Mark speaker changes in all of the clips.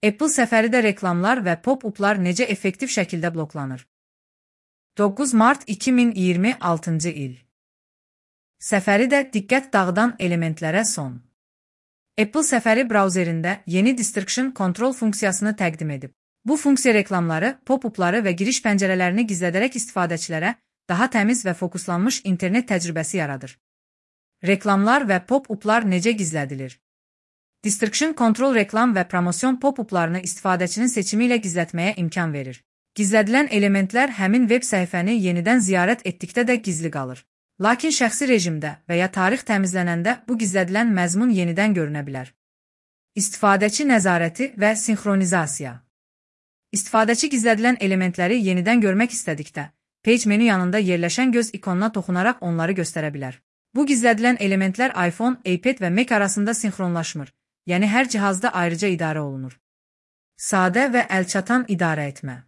Speaker 1: Apple səfəridə reklamlar və pop-uplar necə effektiv şəkildə bloklanır? 9 mart 2026-cı il. Səfəridə diqqət dağıdan elementlərə son. Apple səfəri brauzerində yeni Distraction Control funksiyasını təqdim edib. Bu funksiya reklamları, pop-upları və giriş pəncərələrini gizlədərək istifadəçilərə daha təmiz və fokuslanmış internet təcrübəsi yaradır. Reklamlar və pop-uplar necə gizlədilir? Distraction Control reklam və promosyon pop-uplarını istifadəçinin seçimi ilə gizlətməyə imkan verir. Gizlədilən elementlər həmin veb səhifəni yenidən ziyarət etdikdə də gizli qalır. Lakin şəxsi rejimdə və ya tarix təmizlənəndə bu gizlədilən məzmun yenidən görünə bilər. İstifadəçi nəzarəti və sinxronizasiya. İstifadəçi gizlədilən elementləri yenidən görmək istədikdə, Page menü yanında yerləşən göz ikonuna toxunaraq onları göstərə bilər. Bu gizlədilən elementlər iPhone, iPad və Mac arasında sinxronlaşmır, yəni hər cihazda ayrıca idarə olunur. Sadə və əlçatan idarə etmə.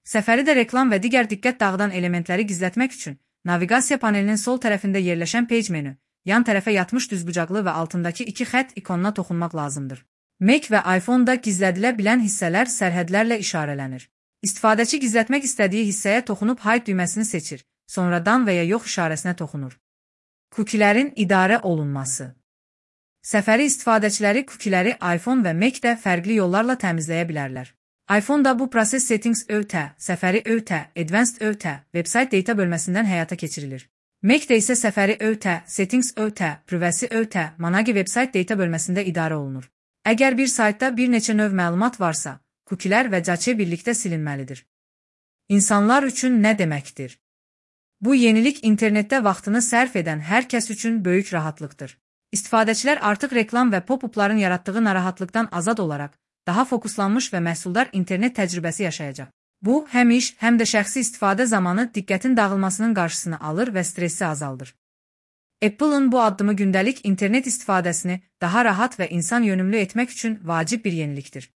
Speaker 1: Səfəridə reklam və digər diqqət dağıdan elementləri gizlətmək üçün naviqasiya panelinin sol tərəfində yerləşən Page menü, yan tərəfə yatmış düzbucaqlı və altındakı iki xətt ikonuna toxunmaq lazımdır. Mac və iPhone-da gizlədilə bilən hissələr sərhədlərlə işarələnir. İstifadəçi gizlətmək istədiyi hissəyə toxunub Hide düyməsini seçir, sonra dan və ya yox işarəsinə toxunur. Kukilərin idarə olunması. Səfəri istifadəçiləri kukiləri iPhone və Mac-də fərqli yollarla təmizləyə bilərlər. iPhone-da bu proses Settings ÖT, Səfəri ÖT, Advanced ÖT, Website Data bölməsindən həyata keçirilir. Mac-də isə Səfəri ÖT, Settings ÖT, Privacy ÖT, Managi Website Data bölməsində idarə olunur. Əgər bir saytda bir neçə növ məlumat varsa, kukilər və cache birlikdə silinməlidir. İnsanlar üçün nə deməkdir? Bu yenilik internetdə vaxtını sərf edən hər kəs üçün böyük rahatlıqdır. İstifadəçilər artıq reklam və pop-upların yaratdığı narahatlıqdan azad olaraq, daha fokuslanmış və məhsuldar internet təcrübəsi yaşayacaq. Bu, həm iş, həm də şəxsi istifadə zamanı diqqətin dağılmasının qarşısını alır və stressi azaldır. Apple-ın bu addımı gündəlik internet istifadəsini daha rahat və insan yönümlü etmək üçün vacib bir yenilikdir.